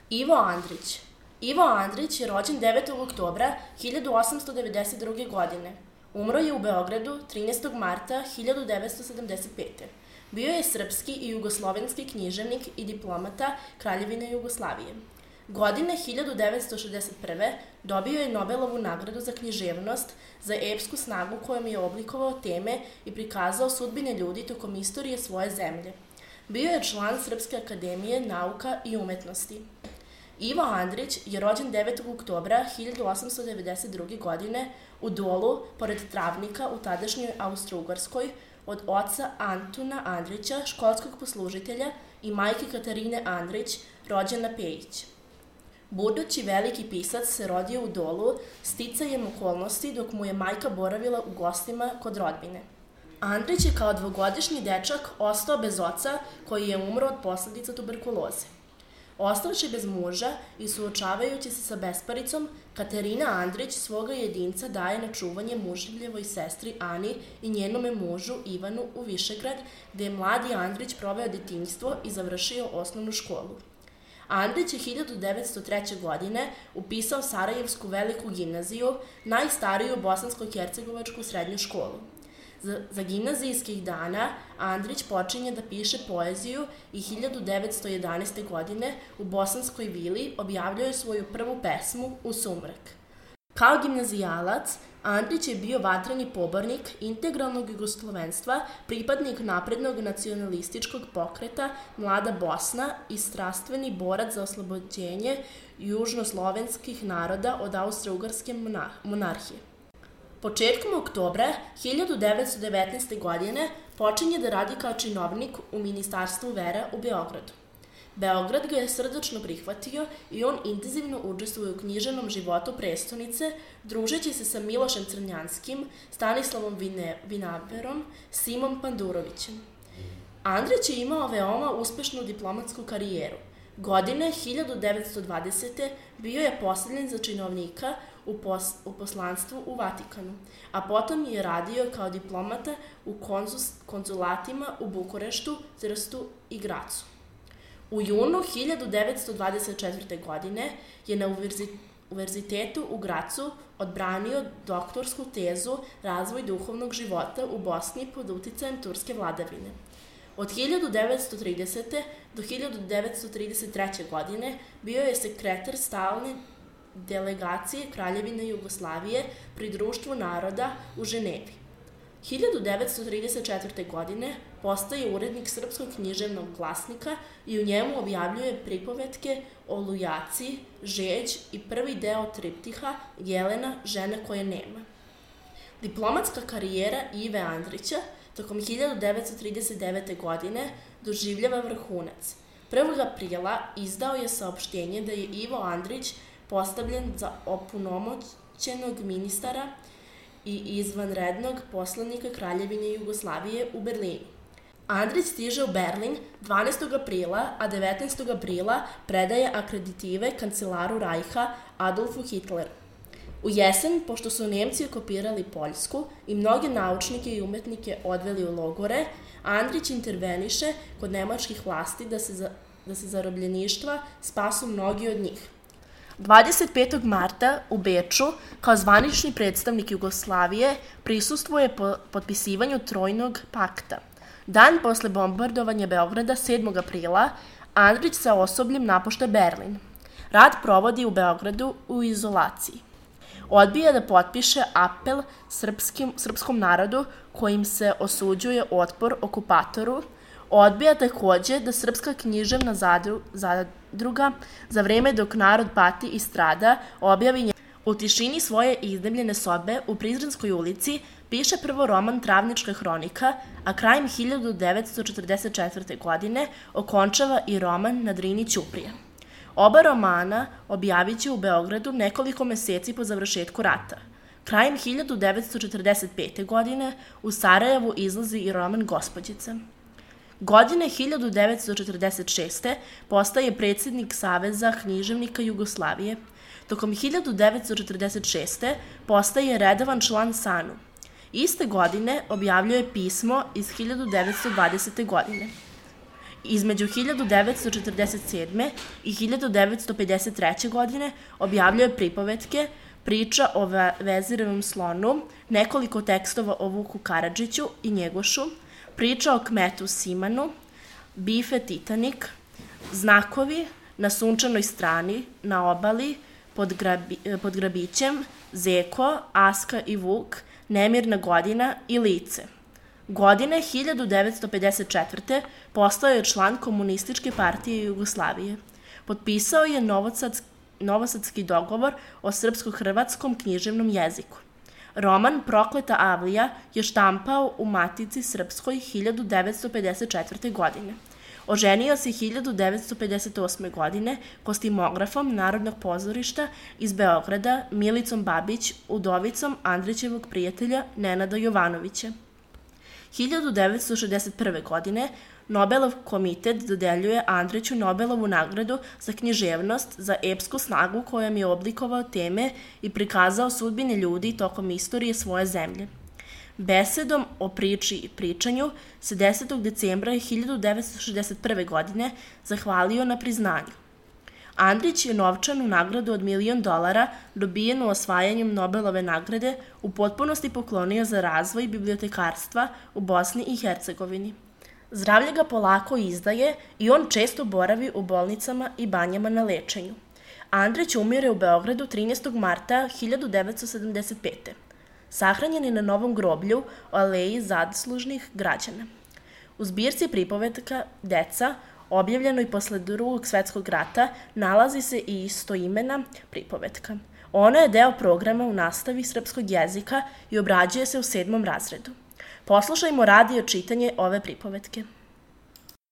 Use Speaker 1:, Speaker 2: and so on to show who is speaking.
Speaker 1: Ivo Andrić. Ivo Andrić je rođen 9. oktobra 1892. godine. Umro je u Beogradu 13. marta 1975. Bio je srpski i jugoslovenski književnik i diplomata Kraljevine Jugoslavije. Godine 1961. dobio je Nobelovu nagradu za književnost za epsku snagu kojom je oblikovao teme i prikazao sudbine ljudi tokom istorije svoje zemlje. Bio je član Srpske akademije nauka i umetnosti. Ivo Andrić je rođen 9. oktobra 1892. godine u Dolu, pored Travnika u tadašnjoj Austro-Ugarskoj, od oca Antuna Andrića, školskog poslužitelja, i majke Katarine Andrić, rođena Pejić. Budući veliki pisac se rodio u Dolu sticajem okolnosti dok mu je majka boravila u gostima kod rodbine. Andrić je kao dvogodišnji dečak ostao bez oca koji je umro od posledica tuberkuloze. Ostavši bez muža i suočavajući se sa besparicom, Katarina Andrić svoga jedinca daje na čuvanje muževljevoj sestri Ani i njenome mužu Ivanu u Višegrad, gde je mladi Andrić proveo detinjstvo i završio osnovnu školu. Andrić je 1903. godine upisao Sarajevsku veliku gimnaziju, najstariju bosansko-hercegovačku srednju školu. Za gimnazijskih dana Andrić počinje da piše poeziju i 1911. godine u Bosanskoj vili objavljuje svoju prvu pesmu U sumrak. Kao gimnazijalac, Andrić je bio vatreni pobornik integralnog jugoslovenstva, pripadnik naprednog nacionalističkog pokreta Mlada Bosna i strastveni borac za oslobođenje južnoslovenskih naroda od Austro-Ugarske monarhije. Početkom oktobra 1919. godine počinje da radi kao činovnik u Ministarstvu vera u Beogradu. Beograd ga je srdačno prihvatio i on intenzivno učestvuje u književnom životu prestonice, družeći se sa Milošem Crnjanskim, Stanislavom Vinaverom, Simom Pandurovićem. Andrić je imao veoma uspešnu diplomatsku karijeru. Godine 1920. bio je postavljen za činovnika u poslanstvu u Vatikanu, a potom je radio kao diplomata u konzulatima u Bukureštu, Trstu i Gracu. U junu 1924. godine je na Univerzitetu u Gracu odbranio doktorsku tezu Razvoj duhovnog života u Bosni pod uticajem turske vladavine. Od 1930. do 1933. godine bio je sekretar stalne delegacije Kraljevine Jugoslavije pri Društvu naroda u Ženevi. 1934. godine postaje urednik Srpskog književnog glasnika i u njemu objavljuje pripovetke o Lujaci, Žeđ i prvi deo triptiha Jelena, žena koje nema. Diplomatska karijera Ive Andrića tokom 1939. godine doživljava vrhunac. 1. aprila izdao je saopštenje da je Ivo Andrić postavljen za opunomoćenog ministara i izvanrednog poslanika Kraljevine Jugoslavije u Berlinu. Andrić stiže u Berlin 12. aprila, a 19. aprila predaje akreditive kancelaru Rajha Adolfu Hitleru. U jesen, pošto su Nemci okupirali Poljsku i mnoge naučnike i umetnike odveli u logore, Andrić interveniše kod nemačkih vlasti da se zarobljeništva spasu mnogi od njih. 25. marta u Beču, kao zvanični predstavnik Jugoslavije, prisustvuje potpisivanju Trojnog pakta. Dan posle bombardovanja Beograda 7. aprila, Andrić sa osobljem napušta Berlin. Rad provodi u Beogradu u izolaciji. Odbija da potpiše apel srpskom narodu kojim se osuđuje otpor okupatoru. Odbija takođe da Srpska književna zadruga za vreme dok narod pati i strada objavi u tišini svoje iznajmljene sobe u Prizrenskoj ulici, piše prvo roman Travnička hronika, a krajem 1944. godine okončava i roman Na Drini ćuprije. Oba romana objavit će u Beogradu nekoliko meseci po završetku rata. Krajem 1945. godine u Sarajevu izlazi i roman Gospođica. Godine 1946. postaje predsjednik Saveza književnika Jugoslavije. Tokom 1946. postaje redovan član SANU. Iste godine objavljuje pismo iz 1920. godine. Između 1947. i 1953. godine objavljuje pripovetke, priča o Veziravom slonu, nekoliko tekstova o Vuku Karadžiću i Njegošu, priča o kmetu Simanu, bife Titanik, znakovi na sunčanoj strani, na obali, pod grabićem, Zeko, Aska i Vuk, Nemirna godina i Lice. Godine 1954. postao je član Komunističke partije Jugoslavije. Potpisao je Novosadski dogovor o srpsko-hrvatskom književnom jeziku. Roman Prokleta avlija je štampao u Matici srpskoj 1954. godine. Oženio se 1958. godine kostimografom Narodnog pozorišta iz Beograda Milicom Babić, udovicom Andrićevog prijatelja Nenada Jovanovića. 1961. godine Nobelov komitet dodeljuje Andriću Nobelovu nagradu za književnost za epsku snagu kojom je oblikovao teme i prikazao sudbine ljudi tokom istorije svoje zemlje. Besedom o priči i pričanju se 10. decembra 1961. godine zahvalio na priznanju. Andrić je novčanu nagradu od $1.000.000 dobijenu osvajanjem Nobelove nagrade u potpunosti poklonio za razvoj bibliotekarstva u Bosni i Hercegovini. Zdravlje ga polako izdaje i on često boravi u bolnicama i banjama na lečenju. Andrić umire u Beogradu 13. marta 1975. Sahranjen je na Novom groblju u Aleji zaslužnih građana. U zbirci pripovetka Deca, objavljenoj posle Drugog svetskog rata, nalazi se i istoimena pripovetka. Ona je deo programa u nastavi srpskog jezika i obrađuje se u 7. razredu. Poslušajmo radio čitanje ove pripovetke.